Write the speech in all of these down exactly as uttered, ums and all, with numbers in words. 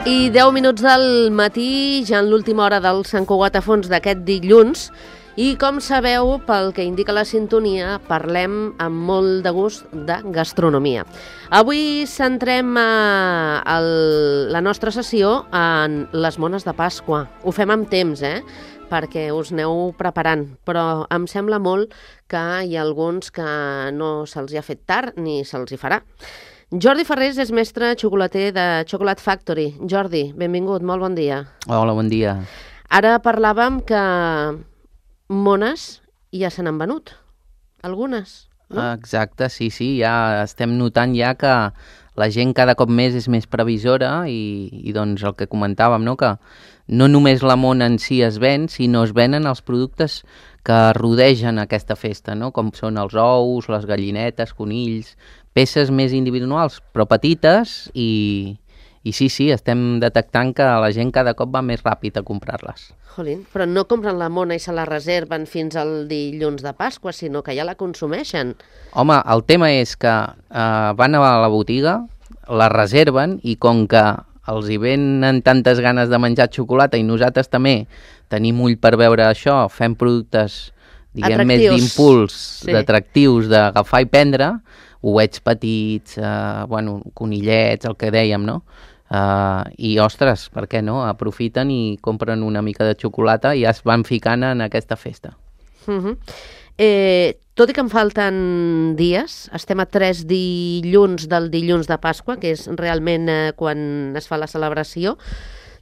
I deu minuts del matí, ja en l'última hora del Sant Cugat a fons d'aquest dilluns, i com sabeu, pel que indica la sintonia, parlem amb molt de gust de gastronomia. Avui centrem eh, el, la nostra sessió en les mones de Pasqua. Ho fem amb temps, eh? perquè us aneu preparant, però em sembla molt que hi ha alguns que no se'ls hi ha fet tard ni se'ls hi farà. Jordi Ferrés és mestre xocolater de Chocolate Factory. Jordi, benvingut, molt bon dia. Hola, bon dia. Ara parlàvem que mones ja se n'han venut, algunes, no? Exacte, sí, sí, ja estem notant ja que la gent cada cop més és més previsora i, i doncs el que comentàvem, no? Que no només la mona en si es ven, sinó es venen els productes que rodegen aquesta festa, no? Com són els ous, les gallinetes, conills, peces més individuals, però petites, i, i sí, sí, estem detectant que la gent cada cop va més ràpid a comprar-les. Jolín, però no compren la mona i se la reserven fins al dilluns de Pasqua, sinó que ja la consumeixen. Home, el tema és que eh, van a la botiga, la reserven, i com que els hi venen tantes ganes de menjar xocolata i nosaltres també tenim ull per veure això, fem productes, diguem, atractius, més d'impuls, sí, d'atractius, d'agafar i prendre, ouets petits, eh, bueno, conillets, el que dèiem, no? Uh, I, ostres, per què no? Aprofiten i compren una mica de xocolata i ja es van ficant en aquesta festa. Uh-huh. Eh, tot i que em falten dies, estem a tres dilluns del dilluns de Pasqua, que és realment eh, quan es fa la celebració.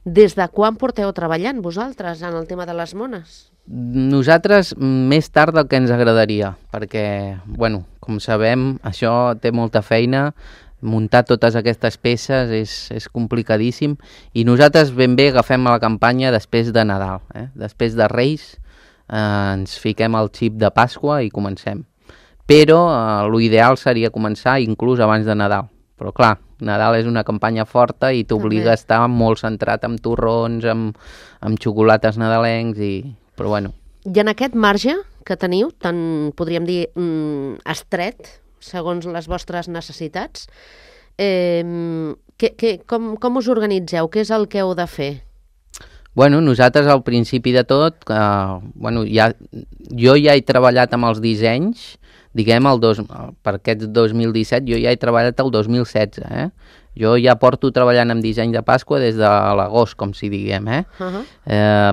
Des de quan porteu treballant vosaltres en el tema de les mones? Nosaltres més tard del que ens agradaria, perquè, bueno, com sabem, això té molta feina, muntar totes aquestes peces és, és complicadíssim, i nosaltres ben bé agafem la campanya després de Nadal, eh? Després de Reis eh, ens fiquem al xip de Pasqua i comencem. Però eh, l'ideal seria començar inclús abans de Nadal, però clar, Nadal és una campanya forta i t'obliga a estar molt centrat en torrons, amb, amb xocolates nadalencs, i... però bueno. I en aquest marge que teniu, tan, podríem dir, mm, estret, segons les vostres necessitats, eh, que, que, com, com us organitzeu? Què és el que heu de fer? Bueno, nosaltres al principi de tot, eh, bueno, ja, jo ja he treballat amb els dissenys, diguem, el dos, per aquest dos mil disset, jo ja he treballat el dos mil setze, eh? Jo ja porto treballant amb disseny de Pasqua des de l'agost, com si diguem, eh? Uh-huh. eh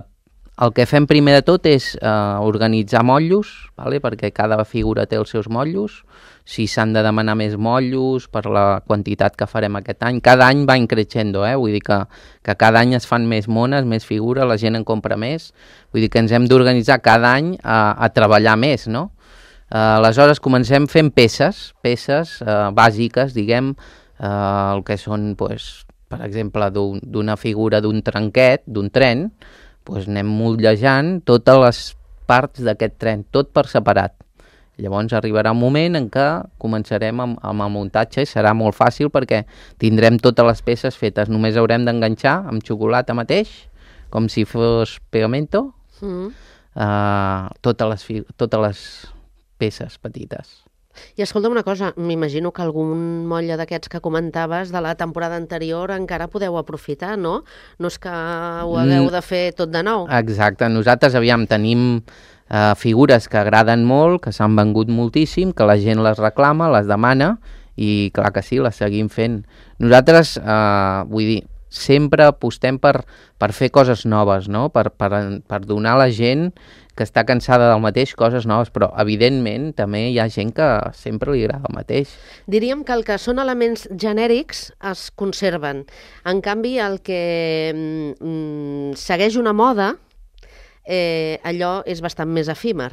El que fem primer de tot és eh, organitzar motllos, vale? Perquè cada figura té els seus motllos, si s'han de demanar més motllos per la quantitat que farem aquest any. Cada any va increixendo, eh? Vull dir que, que cada any es fan més mones, més figures, la gent en compra més, vull dir que ens hem d'organitzar cada any a, a treballar més, no? Eh, aleshores comencem fent peces, peces eh, bàsiques, diguem, eh, el que són, pues, per exemple, d'un, d'una figura d'un trenquet, d'un tren, doncs anem motlejant totes les parts d'aquest tren, tot per separat. Llavors arribarà un moment en què començarem amb, amb el muntatge i serà molt fàcil perquè tindrem totes les peces fetes. Només haurem d'enganxar amb xocolata mateix, com si fos pegamento, mm. uh, totes, les, totes les peces petites. I escolta'm una cosa, m'imagino que algun motlle d'aquests que comentaves de la temporada anterior encara podeu aprofitar, no? No és que ho hagueu de fer tot de nou. Exacte, nosaltres, aviam, tenim eh, figures que agraden molt, que s'han vengut moltíssim, que la gent les reclama, les demana, i clar que sí, les seguim fent. Nosaltres, eh, vull dir, sempre apostem per, per fer coses noves, no? Per, per, per donar a la gent que està cansada del mateix coses noves, però evidentment també hi ha gent que sempre li agrada el mateix. Diríem que el que són elements genèrics es conserven. En canvi, el que mm, segueix una moda, eh, allò és bastant més efímer.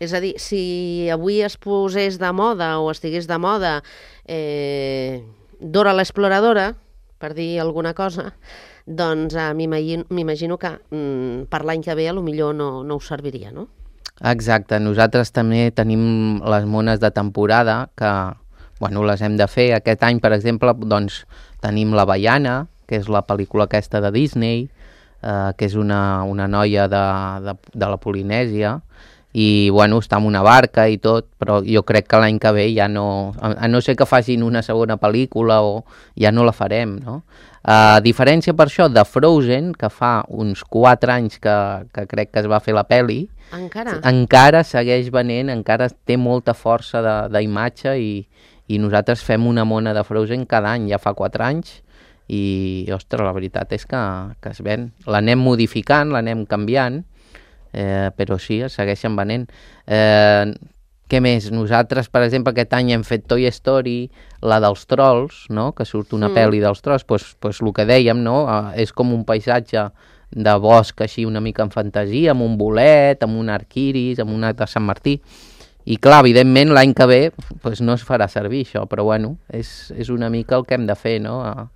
És a dir, si avui es posés de moda o estigués de moda eh, Dora l'Exploradora, per dir alguna cosa, doncs eh, m'imagino que mm, per l'any que ve potser no, no us serviria, no? Exacte, nosaltres també tenim les mones de temporada que, bueno, les hem de fer. Aquest any, per exemple, doncs, tenim La Baiana, que és la pel·lícula aquesta de Disney, eh, que és una, una noia de, de, de la Polinèsia, i bueno, està en una barca i tot, però jo crec que l'any que ve ja no, a no ser que facin una segona pel·lícula o ja no la farem, no? A diferència per això de Frozen, que fa uns quatre anys que, que crec que es va fer la pel·li, encara, encara segueix venent, encara té molta força d'imatge i, i nosaltres fem una mona de Frozen cada any, ja fa quatre anys, i ostres, la veritat és que, que es ven. L'anem modificant, l'anem canviant, Eh, però sí, es segueixen venent. Eh, què més? Nosaltres, per exemple, aquest any hem fet Toy Story, la dels trolls, no? Que surt una mm. pel·li dels trolls, pues, pues el que dèiem, no? Eh, és com un paisatge de bosc així una mica en fantasia, amb un bolet, amb un arc iris, amb un arc de Sant Martí. I clar, evidentment, l'any que ve pues, no es farà servir això, però bueno, és, és una mica el que hem de fer, no? A,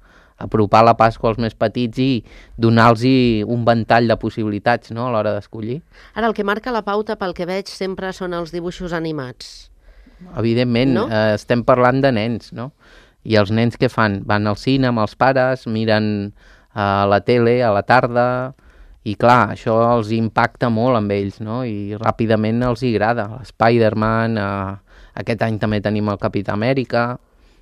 apropar la Pasqua als més petits i donar-los un ventall de possibilitats, no?, a l'hora d'escollir. Ara, el que marca la pauta, pel que veig, sempre són els dibuixos animats. Evidentment, no? eh, estem parlant de nens, no? I els nens què fan? Van al cine amb els pares, miren a la tele a la tarda, i clar, això els impacta molt amb ells, no? I ràpidament els hi agrada. Spider-Man, eh, aquest any també tenim el Capità Amèrica,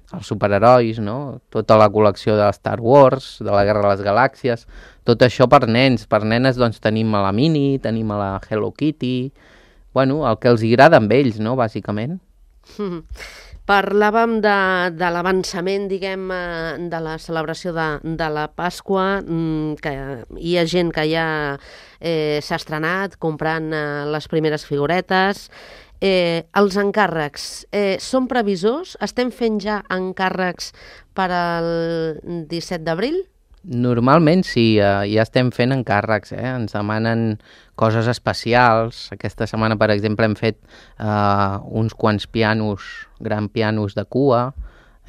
els superherois, no? Tota la col·lecció de Star Wars, de la Guerra de les Galàxies, tot això per nens. Per nenes doncs tenim a la Minnie, tenim a la Hello Kitty, bueno, el que els agrada amb ells, no?, bàsicament. Mm. Parlàvem de, de l'avançament, diguem, de la celebració de, de la Pasqua, que hi ha gent que ja eh, s'ha estrenat comprant eh, les primeres figuretes. Eh, els encàrrecs, eh, són previsors? Estem fent ja encàrrecs per al disset d'abril? Normalment sí, eh, ja estem fent encàrrecs, eh? Ens demanen coses especials. Aquesta setmana, per exemple, hem fet eh, uns quants pianos, gran pianos de cua,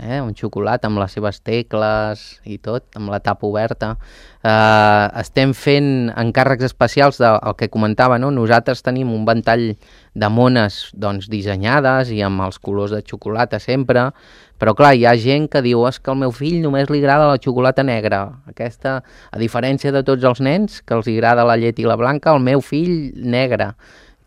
eh? Un xocolata amb les seves tecles i tot, amb la tapa oberta. Eh, estem fent encàrrecs especials del que comentava, no? Nosaltres tenim un ventall de mones doncs, dissenyades i amb els colors de xocolata sempre, però clar, hi ha gent que diu és que al meu fill només li agrada la xocolata negra. Aquesta, a diferència de tots els nens, que els agrada la llet i la blanca, el meu fill negra.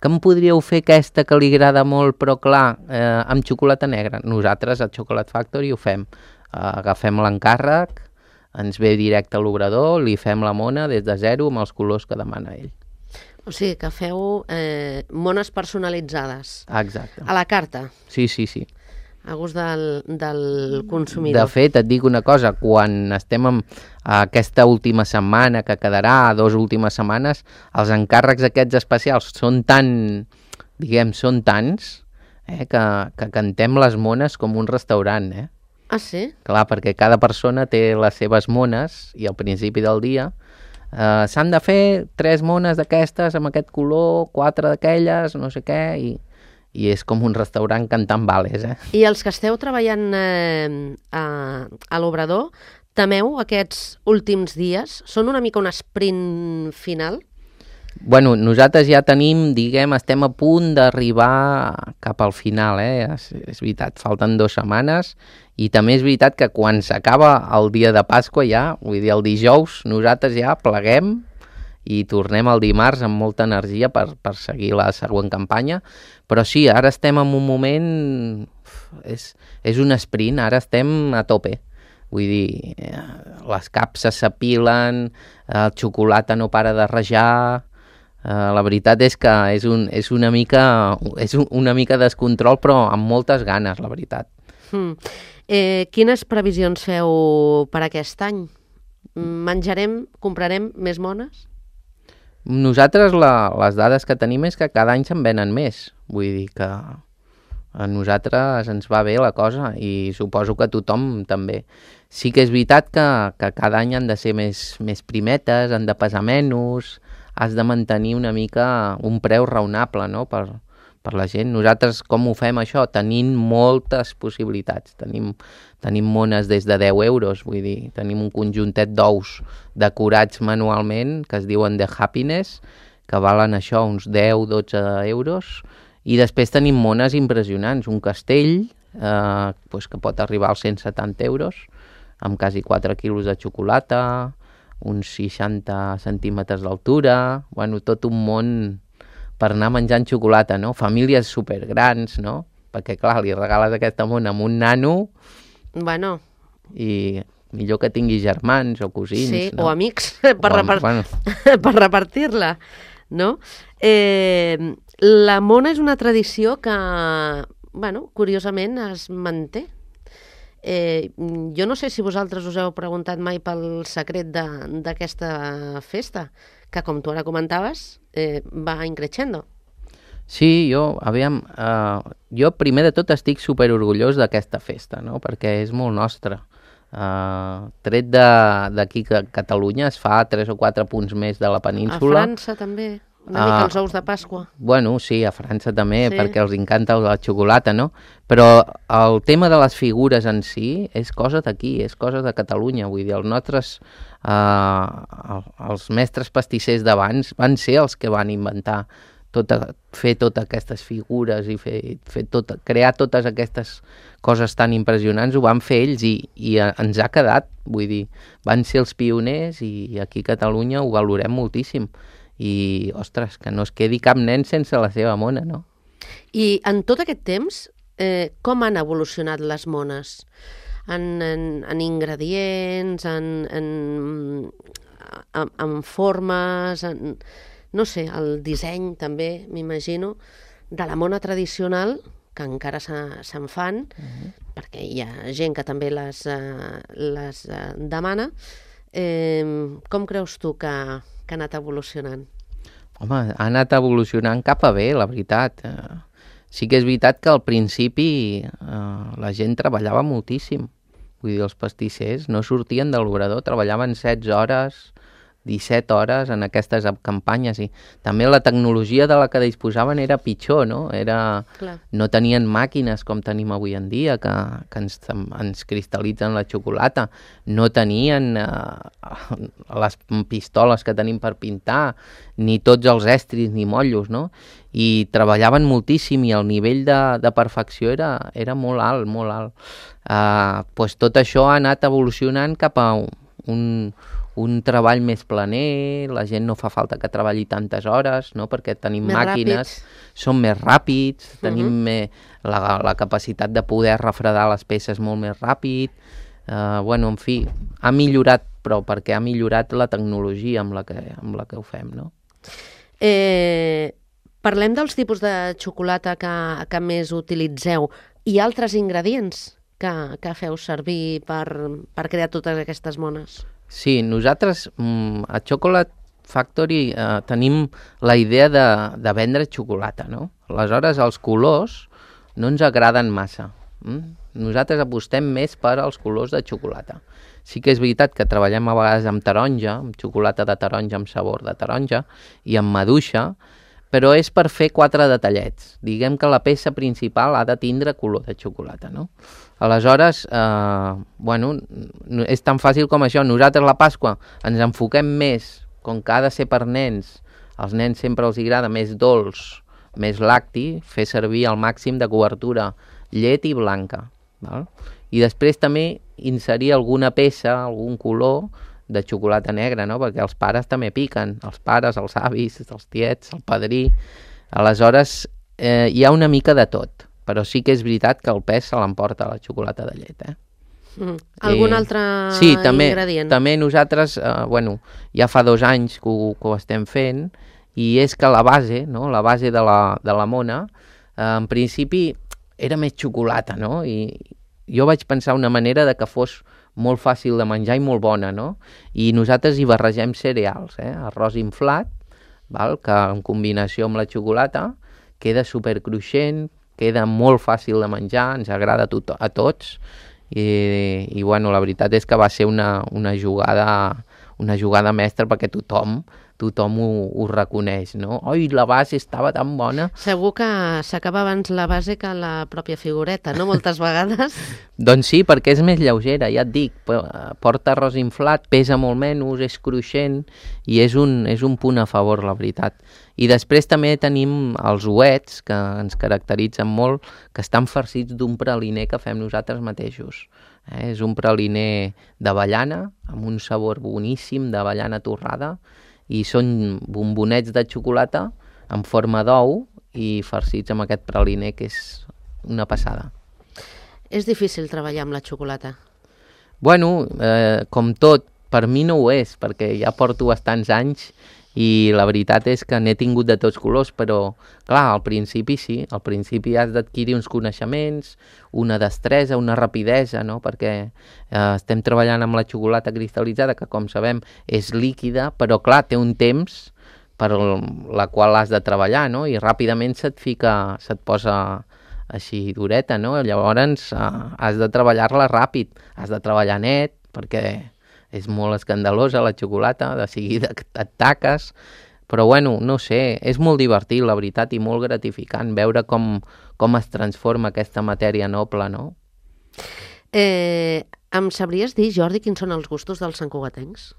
Que em podríeu fer aquesta que li agrada molt, però clar, eh, amb xocolata negra? Nosaltres a Chocolate Factory ho fem. Eh, agafem l'encàrrec, ens ve directe a l'obrador, li fem la mona des de zero amb els colors que demana ell. O sigui, que feu eh, mones personalitzades. Exacte. A la carta. Sí, sí, sí. A gust del, del consumidor. De fet, et dic una cosa, quan estem en aquesta última setmana que quedarà, dos últimes setmanes, els encàrrecs aquests especials són tan, diguem, són tants, eh, que, que cantem les mones com un restaurant, eh? Ah, sí? Clar, perquè cada persona té les seves mones i al principi del dia eh, s'han de fer tres mones d'aquestes amb aquest color, quatre d'aquelles, no sé què, i... i és com un restaurant cantant vales, eh? I els que esteu treballant eh, a, a l'obrador, temeu aquests últims dies? Són una mica un sprint final? Bueno, nosaltres ja tenim, diguem, estem a punt d'arribar cap al final, eh? És, és veritat, falten dues setmanes, i també és veritat que quan s'acaba el dia de Pasqua ja, vull dir, el dijous, nosaltres ja pleguem i tornem el dimarts amb molta energia per, per seguir la següent campanya. Però sí, ara estem en un moment... És, és un sprint, ara estem a tope. Vull dir, les capses s'apilen, el xocolata no para de rajar... Uh, la veritat és que és, un, és, una mica, és un, una mica descontrol, però amb moltes ganes, la veritat. Hmm. Eh, quines previsions feu per aquest any? menjarem, comprarem més mones? Nosaltres la, les dades que tenim és que cada any se'n venen més. Vull dir que a nosaltres ens va bé la cosa i suposo que a tothom també. Sí que és veritat que, que cada any han de ser més, més primetes, han de pesar menys, has de mantenir una mica un preu raonable, no?, per, per la gent. Nosaltres com ho fem això? Tenint moltes possibilitats. Tenim, tenim mones des de deu euros, vull dir, tenim un conjuntet d'ous decorats manualment que es diuen The Happiness, que valen això uns deu a dotze euros, i després tenim mones impressionants, un castell eh, pues que pot arribar als cent setanta euros, amb quasi quatre quilos de xocolata, uns seixanta centímetres d'altura, bueno, tot un món per anar menjant xocolata, no? Famílies supergrans, no? Perquè, clar, li regales aquesta mona amb un nano, bueno, i millor que tingui germans o cosins, sí, no? o amics, per, O, repart... bueno. per repartir-la, no? Eh, la mona és una tradició que, bueno, curiosament es manté. Eh, jo no sé si vosaltres us heu preguntat mai pel secret d'aquesta festa, que com tu ara comentaves, eh, va increixendo. Sí, jo, aviam, uh, jo primer de tot estic superorgullós d'aquesta festa, no?, perquè és molt nostra. Uh, tret d'aquí que Catalunya es fa tres o quatre punts més de la península. A França també, una mica els ous de Pasqua. Bueno, sí, a França també, sí, perquè els encanta la xocolata, no? Però el tema de les figures en si és cosa d'aquí, és cosa de Catalunya. Vull dir, els nostres, eh, els mestres pastissers d'abans van ser els que van inventar tota, fer totes aquestes figures i fer, fer tot, crear totes aquestes coses tan impressionants, ho van fer ells i, i ens ha quedat, vull dir, van ser els pioners i aquí a Catalunya ho valorem moltíssim. I, ostres, que no es quedi cap nen sense la seva mona, no? I en tot aquest temps, eh, com han evolucionat les mones? En, en, en ingredients, en, en, en, en formes, en, no sé, el disseny també, m'imagino, de la mona tradicional, que encara se'n fan, uh-huh. perquè hi ha gent que també les, uh, les uh, demana. Eh, com creus tu que, que ha anat evolucionant? Home, ha anat evolucionant cap a bé, la veritat. Eh, sí que és veritat que al principi eh, la gent treballava moltíssim. Vull dir, els pastissers no sortien de l'obrador, treballaven setze hores, disset hores en aquestes campanyes i també la tecnologia de la que disposaven era pitjor, no? Era, no tenien màquines com tenim avui en dia que, que ens, ens cristal·litzen la xocolata, no tenien eh, les pistoles que tenim per pintar, ni tots els estris ni motllos, no? I treballaven moltíssim i el nivell de, de perfecció era, era molt alt, molt alt. Uh, pues tot això ha anat evolucionant cap a un un treball més planer, la gent no fa falta que treballi tantes hores, no?, perquè tenim més màquines, ràpids. Són més ràpids, uh-huh. tenim més, la, la capacitat de poder refredar les peces molt més ràpid, uh, bueno, en fi, ha millorat, però perquè ha millorat la tecnologia amb la que, amb la que ho fem, no? Eh, parlem dels tipus de xocolata que, que més utilitzeu. Hi ha altres ingredients que, que feu servir per, per crear totes aquestes mones? Sí, nosaltres mm, a Chocolate Factory eh, tenim la idea de, de vendre xocolata, no? Aleshores, els colors no ens agraden massa. Mm? Nosaltres apostem més per als colors de xocolata. Sí que és veritat que treballem a vegades amb taronja, amb xocolata de taronja, amb sabor de taronja, i amb maduixa, però és per fer quatre detallets. Diguem que la peça principal ha de tindre color de xocolata, no? Aleshores, eh, bueno, és tan fàcil com això. Nosaltres la Pasqua ens enfoquem més, com que ha de ser per nens, als nens sempre els agrada més dolç, més lacti, fer servir al màxim de cobertura llet i blanca. Val? I després també inserir alguna peça, algun color de xocolata negra, no? Perquè els pares també piquen, els pares, els avis, els tiets, el padrí. Aleshores, eh, hi ha una mica de tot, però sí que és veritat que el pes se l'emporta la xocolata de llet, eh? Mm. Algun eh, altre sí, també, ingredient? També nosaltres, eh, bueno, ja fa dos anys que ho, que ho estem fent, i és que la base, no? La base de la, de la mona, eh, en principi era més xocolata, no? I jo vaig pensar una manera de que fos molt fàcil de menjar i molt bona, no? I nosaltres hi barregem cereals, eh? Arròs inflat, val? Que en combinació amb la xocolata queda supercruixent, queda molt fàcil de menjar, ens agrada a, tot, a tots, i, i bueno, la veritat és que va ser una, una jugada una jugada mestra perquè tothom tothom ho, ho reconeix, no? Oi, la base estava tan bona. Segur que s'acaba abans la base que la pròpia figureta, no? Moltes vegades. Doncs sí, perquè és més lleugera, ja et dic, porta arròs inflat, pesa molt menys, és cruixent i és un, és un punt a favor, la veritat. I després també tenim els ouets, que ens caracteritzen molt, que estan farcits d'un praliner que fem nosaltres mateixos. Eh? És un praliner d'avellana, amb un sabor boníssim d'avellana torrada, i són bombonets de xocolata en forma d'ou i farcits amb aquest praliner, que és una passada. És difícil treballar amb la xocolata? Bueno, eh, com tot, per mi no ho és, perquè ja porto bastants anys i la veritat és que n'he tingut de tots colors, però clar, al principi sí, al principi has d'adquirir uns coneixements, una destresa, una rapidesa, no? Perquè eh, estem treballant amb la xocolata cristal·litzada, que com sabem és líquida, però clar, té un temps per la qual has de treballar, no? I ràpidament se't fica, se't posa així dureta, no? Llavors eh, has de treballar-la ràpid, has de treballar net, perquè és molt escandalosa la xocolata, de seguida et taques, però bueno, no sé, és molt divertit, la veritat, i molt gratificant veure com, com es transforma aquesta matèria noble, no? Eh, em sabries dir, Jordi, quins són els gustos dels santcugatencs?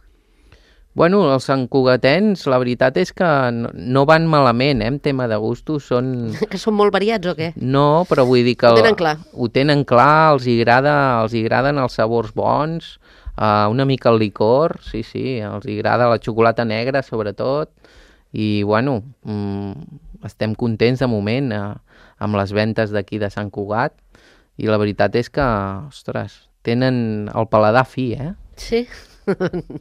Bueno, els santcugatencs, la veritat és que no, no van malament, eh, en tema de gustos, són... Que són molt variats o què? No, però vull dir que... Ho tenen clar. Ho tenen clar, els hi agrada, els hi agraden els sabors bons, Uh, una mica el licor, sí, sí, els agrada la xocolata negra sobretot, i bueno, mm, estem contents de moment uh, amb les ventes d'aquí de Sant Cugat, i la veritat és que, ostres, tenen el paladar fi, eh? Sí,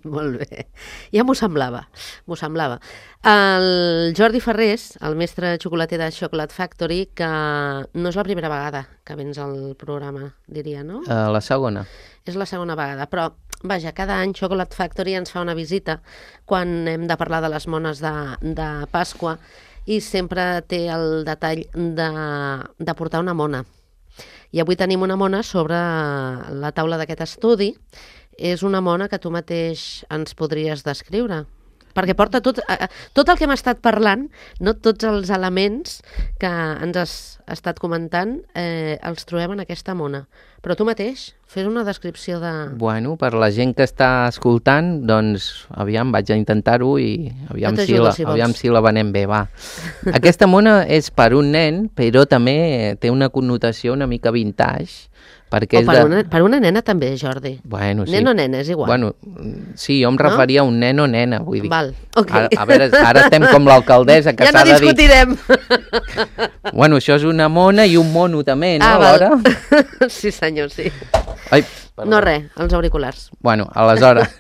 molt bé. Ja m'ho semblava, m'ho semblava. El Jordi Ferrés, el mestre xocolater de Chocolate Factory, que no és la primera vegada que vens al programa, diria, no? Uh, la segona. És la segona vegada, però vaja, cada any Chocolate Factory ens fa una visita quan hem de parlar de les mones de, de Pasqua i sempre té el detall de, de portar una mona. I avui tenim una mona sobre la taula d'aquest estudi. És una mona que tu mateix ens podries descriure. Perquè porta tot, eh, tot el que hem estat parlant, no tots els elements que ens has estat comentant, eh, els trobem en aquesta mona. Però tu mateix, fes una descripció de... Bueno, per la gent que està escoltant, doncs, aviam, vaig a intentar-ho i aviam, si la, si aviam si la venem bé, va. Aquesta mona és per un nen, però també té una connotació una mica vintage, perquè o és per, de... una, per una nena també, Jordi. Bueno, sí. Nen o nena, és igual. Bueno, sí, jo em referia no? a un nen o nena, vull dir. Val, ok. Ara, a veure, ara estem com l'alcaldessa, que ja s'ha no de dir... discutirem. Bueno, això és una mona i un mono també, no, ah, alhora? Sí, senyor, sí. Ai, perdó. No res, els auriculars. Bueno, aleshores,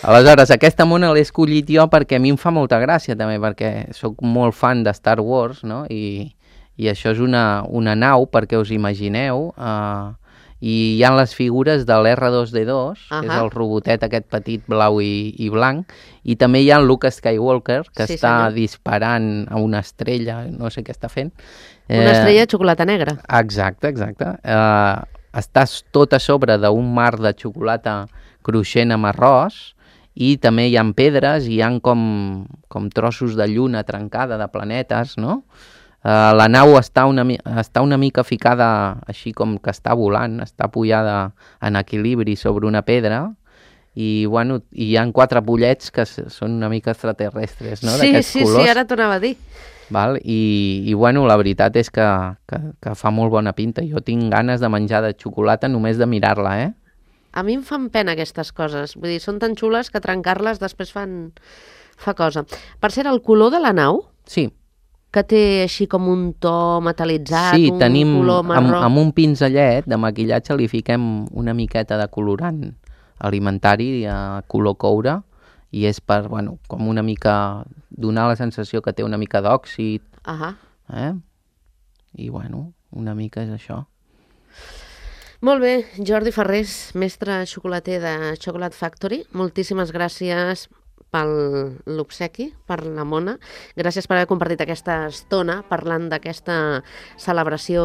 aleshores aquesta mona l'he escollit jo perquè a mi em fa molta gràcia també, perquè sóc molt fan de Star Wars, no? I, i això és una, una nau, perquè us imagineu, eh, i hi ha les figures de l'erre dos de dos, uh-huh. que és el robotet aquest petit blau i, i blanc, i també hi ha el Luke Skywalker, que sí, està senyor. disparant a una estrella, no sé què està fent. Una eh, estrella de xocolata negra. Exacte, exacte. Eh, estàs tot a sobre d'un mar de xocolata cruixent amb arròs, i també hi ha pedres, i hi ha com, com trossos de lluna trencada, de planetes, no? Uh, la nau està una, està una mica ficada així com que està volant, està pujada en equilibri sobre una pedra, i bueno, hi ha quatre pollets que són una mica extraterrestres, no? Sí, d'aquests sí, colors. sí, ara t'ho anava a dir. Val? I, i bueno, la veritat és que, que, que fa molt bona pinta. Jo tinc ganes de menjar de xocolata només de mirar-la, eh? A mi em fan pena aquestes coses. Vull dir, són tan xules que trencar-les després fan... fa cosa. Per cert, el color de la nau... Sí. Que té així com un to metal·litzat, sí, un tenim, color marró... amb, amb un pinzellet de maquillatge li fiquem una miqueta de colorant alimentari a color coure, i és per, bueno, com una mica donar la sensació que té una mica d'òxid. Uh-huh. Eh? I bueno, una mica és això. Molt bé, Jordi Ferrés, mestre xocolater de Chocolate Factory, moltíssimes gràcies per l'obsequi, per la mona. Gràcies per haver compartit aquesta estona parlant d'aquesta celebració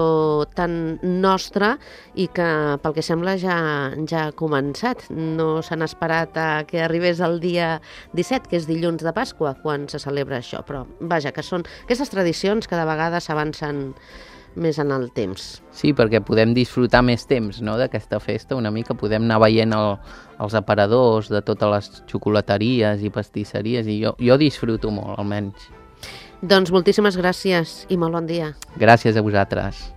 tan nostra i que, pel que sembla, ja, ja ha començat. No s'han esperat a que arribés el dia disset, que és dilluns de Pasqua, quan se celebra això. Però, vaja, que són aquestes tradicions que de vegades s'avancen més en el temps. Sí, perquè podem disfrutar més temps, no?, d'aquesta festa, una mica podem anar veient el, els aparadors de totes les xocolateries i pastisseries i jo, jo disfruto molt, almenys. Doncs moltíssimes gràcies i molt bon dia. Gràcies a vosaltres.